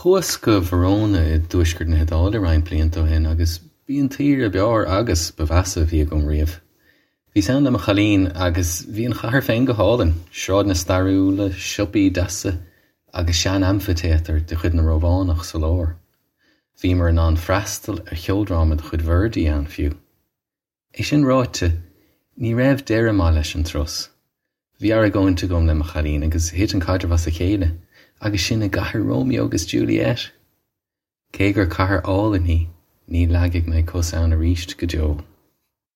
Chuas go Verona i dtuaisceart na hIodáile roinnt blianta ó shin agus b'í an tsaoire b'fhearr agus ba mheasa a bhí agam riamh. Bhíos ann le mo chailín agus bhí an chathair féin go hálainn, sráideanna stairiúla, siopaí deasa agus sean-amfaitéatar de chuid na Rómhánach sa lár. Bhíomar in ann freastal ar cheoldráma de chuid Verdi ann fiú. É sin ráite, ní raibh deireadh maith leis an turas. Bhí argóint agam le mo chailín agus thit an caidreamh as a chéile, agus sin i gcathair Romeo agus Juliet! Cé gur cathair álainn í, ní leagfaidh mé cos ann arís go deo.